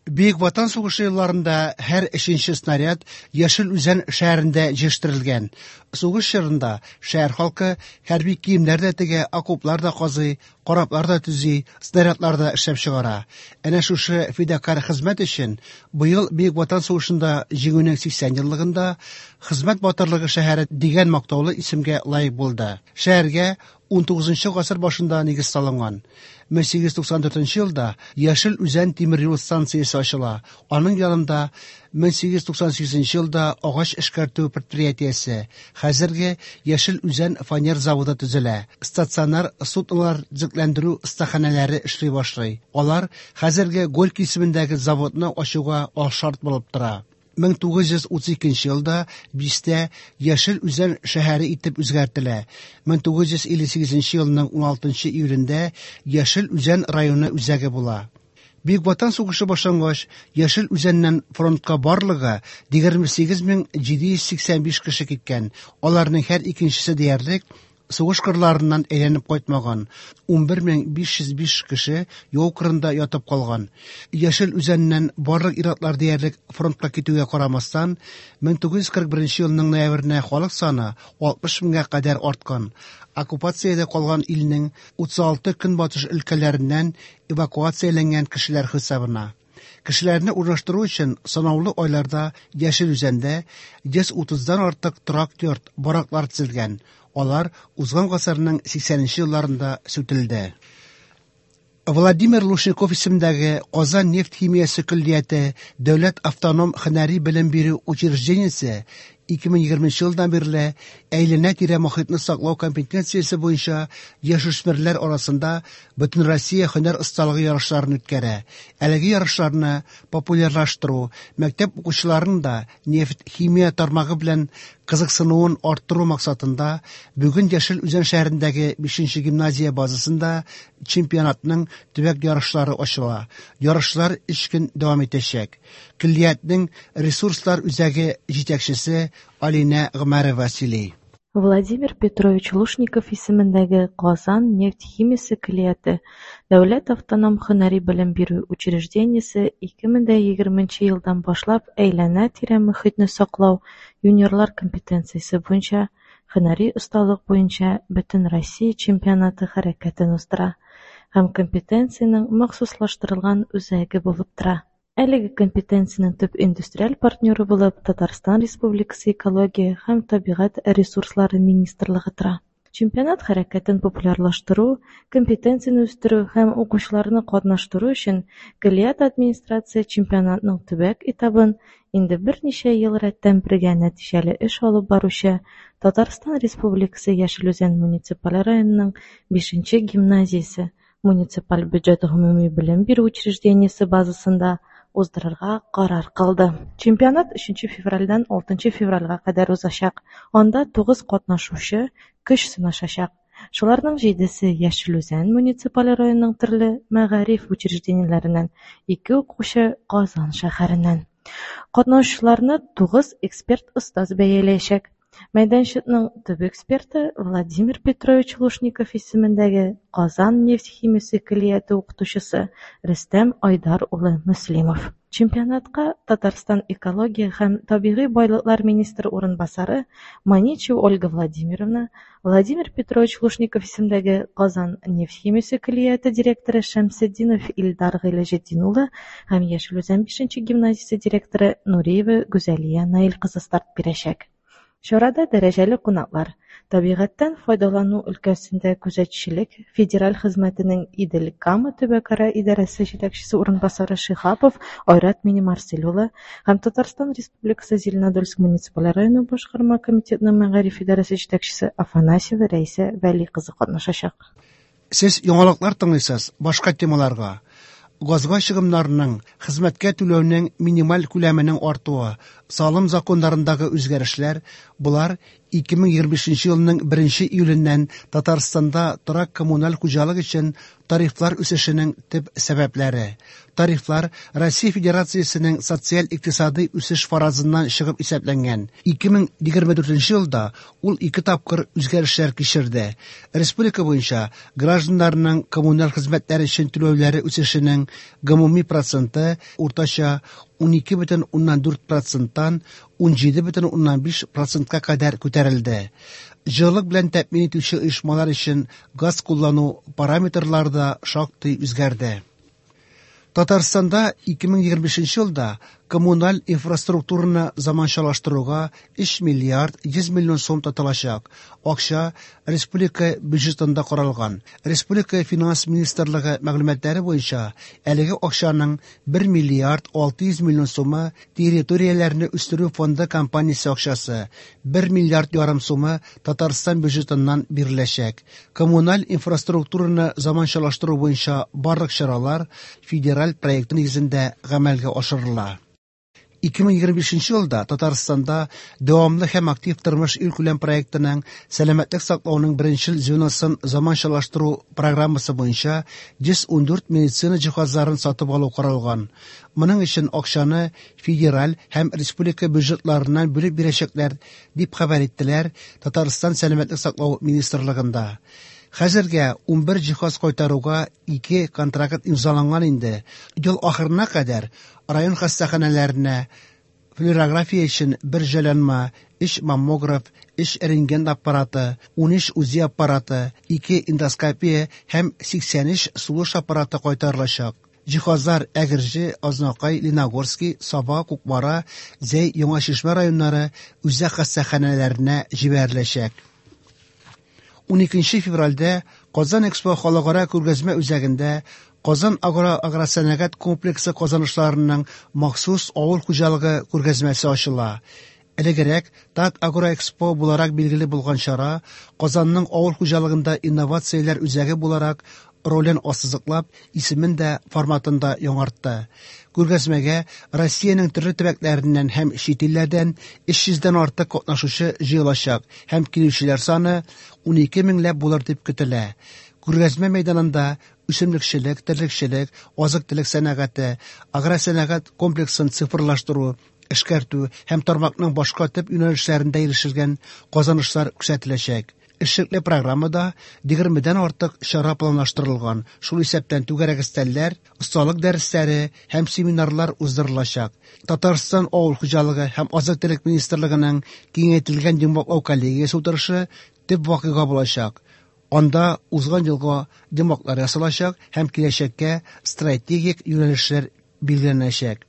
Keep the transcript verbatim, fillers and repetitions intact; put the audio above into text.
Бөек Ватан сугышы елларында һәр өченче снаряд Яшел Үзән шәһәрендә җитештерелгән. Сугыш чорында шәһәр халкы хәрби киемнәр дә тегә, окоплар да казый, кораблар да төзи, снарядлар да эшләп чыгара. Әнә шушы фидакарь хезмәт өчен быел Бөек Ватан сугышында Җиңүнең сиксән еллыгында Хезмәт батырлыгы шәһәре дигән мактаулы исемгә лаек булды. Шәһәргә унтугызынчы гасыр башында нигез салынган. мең сигез йөз туксан дүртенче елда Яшел Үзән тимер юл станциясе ачыла. Аның янында мең сигез йөз туксан сигезенче елда агач эшкәртү предприятиесе, хәзерге Яшел Үзән фанер заводы төзелә. Стационар суднолар төзекләндерү остаханәләре эшли башлый. Алар хәзерге Горький исемендәге заводны ачуга алшарт булып тора. мең тугыз йөз утыз икенче елда бистә Яшел Үзән шәһәре итеп үзгәртелә. мең тугыз йөз илле сигезенче елның уналтынчы июлендә Яшел Үзән районы үзәге була. Бөек Ватан сугышы башлангач, Яшел Үзәннән фронтка барлыгы егерме сигез мең җиде йөз сиксән биш кеше киткән. Аларның һәр икенчесе диярлек сугыш кырларыннан әйләнеп кайтмаган. Унбер мең биш йөз биш кеше яу кырында ятып калган. Яшел Үзәннән барлык ир-атлар диярлек фронтка китүгә карамастан, мең тугыз йөз кырык беренче елның ноябренә халык саны алтмыш меңгә кадәр арткан. Оккупациядә калган илнең утыз алты көнбатыш өлкәләреннән эвакуацияләнгән кешеләр хисабына. Кешеләрне урнаштыру өчен санаулы айларда Яшел Үзәндә йөз утыздан артык торак йорт, бараклар төзелгән. Алар узган гасырның сиксәненче елларында сүтелде. Владимир Лушников исемендәге Казан нефть химиясе көллияте дәүләт автоном һөнәри белем бирү учреждениесе ике мең егерменче елдан бирле әйләнә-тирә мохитне саклау компетенциясе буенча яшүсмерләр арасында Бөтенроссия һөнәр осталыгы ярышларын үткәрә. Әлеге ярышларны популярлаштыру, мәктәп укучыларының да нефть химия тармагы белән кызыксынуын арттыру максатында бүген Яшел Үзән шәһәрендәге бишенче гимназия базасында чемпионатның төбәк ярышлары ачыла. Ярышлар өч көн дәвам итәчәк. Көллиятнең ресурслар үзәге җитәкчесе Алинә Гомәрова сөйли. Владимир Петрович Лушников исемендәге Казан нефть химиясе көллияте дәүләт автоном һөнәри белем бирү учреждениесе ике мең дә егерменче елдан башлап әйләнә-тирә мохитне саклау юниорлар компетенциясе буенча һөнәри осталык буенча Бөтенроссия чемпионаты хәрәкәтен уздыра һәм компетенциянең махсуслаштырылган үзәге булып тора. Әлеге компетенциянең төп индустриаль партнеры булып Татарстан Республикасы Экология һәм табигать ресурслары министрлыгы тора. Чемпионат хәрәкәтен популярлаштыру, компетенцияне үстерү һәм укучыларны катнаштыру өчен көллият администрация чемпионатның төбәк этабын инде берничә ел рәттән бергә нәтиҗәле эш алып баручы Татарстан Республикасы Яшел Үзән муниципаль районының бишенче гимназиясе муниципаль бюджет гомуми белем бирү учреждениесе базасында уздырырга карар кылды. Чемпионат өченче февральдән алтынчы февральгә кадәр узачак. Анда тугыз катнашучы көч сынашачак. Шуларның җидесе Яшел Үзән муниципаль районының төрле мәгариф учреждениеләреннән, ике укучы Казан шәһәреннән. Катнашучыларны тугыз эксперт остаз бәяләячәк. Мәйданчыкның төп эксперты Владимир Петрович Лушников исемендәге Казан нефть химиясе көллияте укытучысы Рөстәм Айдар улы Мөслимов. Чемпионатка Татарстан экология һәм табигый байлыклар министры урынбасары Маничева Ольга Владимировна, Владимир Петрович Лушников исемендәге Казан нефть химиясе көллияте директоры Шәмсетдинов Илдар Гыйләҗетдин улы һәм Яшел Үзән бишенче гимназиясе директоры Нуриева Гүзәлия Наил кызы старт бирәчәк. Чарада дәрәҗәле кунаклар, табигатьтән файдалану өлкәсендә күзәтчелек федераль хезмәтенең Идел-Кама төбәкара идарәсе җитәкчесе урынбасары Шиһапов Айрат Минемарсель улы һәм Татарстан Республикасы Зеленодольск муниципаль районы башкарма комитетының мәгариф идарәсе җитәкчесе Афанасьева Рәйсә Вәли кызы катнашачак. Сез яңалыклар тыңлыйсыз, башка темаларга. Газга чыгымнарының, хезмәткә түләүнең минималь күләменең артуы, салым законнарындагы үзгәрешләр, болар ике мең егерме бишенче елның беренче июленнән Татарстанда торак коммуналь хуҗалык өчен тарифлар үсешенең төп сәбәпләре. Тарифлар Россия Федерациясенең социаль-икътисадый үсеш фаразыннан чыгып исәпләнгән. ике мең егерме дүртенче елда ул ике тапкыр үзгәрешләр кичерде. Республика буенча гражданнарның коммуналь хезмәтләр өчен түләүләре үсешенең гомуми проценты уртача унике бөтен уннан дүрт проценттан унҗиде бөтен уннан биш процентка кадәр күтәрелде. Җылылык белән тәэмин итүче оешмалар өчен газ куллану параметрлары да шактый үзгәрде. Татарстанда ике мең егерме бишенче елда коммуналь инфраструктураны заманчалаштыруга өч миллиард йөз миллион сум тотылачак. Акча республика бюджетында каралган. Республика финанс министрлыгы мәгълүматлары буенча әлеге акчаның бер миллиард алты йөз миллион сумы территорияләрне үстерү фонды компаниясе акчасы, бер миллиард ярым сумы Татарстан бюджетыннан биреләчәк. Коммуналь инфраструктураны заманчалаштыру буенча барлык чаралар федераль проект нигезендә гамәлгә ашырыла. ике мең егерме бишенче елда Татарстанда дәвамлы һәм актив тормыш илкүләм проектының сәламәтлек саклауның беренчел звеносын заманчалаштыру программасы буенча йөз ундүрт медицина җиһазларын сатып алу каралган. Моның өчен акчаны федераль һәм республика бюджетларыннан бүлеп бирәчәкләр, дип хәбәр иттеләр Татарстан сәламәтлек саклау министрлыгында. Хәзергә унбер җиһаз кайтаруга ике контракт имзаланган инде. Ел ахырына кадәр район хастаханәләренә флюорография өчен бер җайланма, өч маммограф, өч рентген аппараты, унөч УЗИ аппараты, ике эндоскопия һәм сиксән өч сулыш аппараты кайтарылачак. Җиһазлар Әгерҗе, Азнакай, Лениногорский, Саба, Кукмара, Зәй, Яңа Чишмә районнары үзәк хастаханәләренә җибәреләчәк. Уникенче февральдә Казан Экспо халыкара күргәзмә үзәгендә Казан агро агросәнәгать комплексы казанышларының махсус авыл хуҗалыгы күргәзмәсе ачыла. Элегрәк ТАК Агроэкспо буларак билгеле булган чара Казанның авыл хуҗалыгында инновацияләр үзәге буларак ролен ассызыклап, исемен дә форматын да яңартты. Күргәзмәгә Россиянең төрле төбәкләреннән һәм чит илләрдән өч йөздән артык катнашучы җыелачак һәм килүчеләр саны унике меңләп булыр дип көтелә. Күргәзмә мәйданында үсемлекчелек, терлекчелек, азык-төлек сәнәгате, агросәнәгать комплексын цифрлаштыру, эшкәртү һәм тармакның башка төп юнәлешләрендә ирешелгән казанышлар күрсәтеләчәк. Эшлекле программада егермедән артык чара планлаштырылган, шул исәптән түгәрәк өстәлләр, осталык дәресләре һәм семинарлар уздырылачак. Татарстан авыл хуҗалыгы һәм азык-төлек министрлыгының киңәйтелгән йомгаклау коллегиясе утырышы төп вакыйга булачак. Анда узган елга йомгаклар ясалачак һәм киләчәккә стратегик юнәлешләр билгеләнәчәк.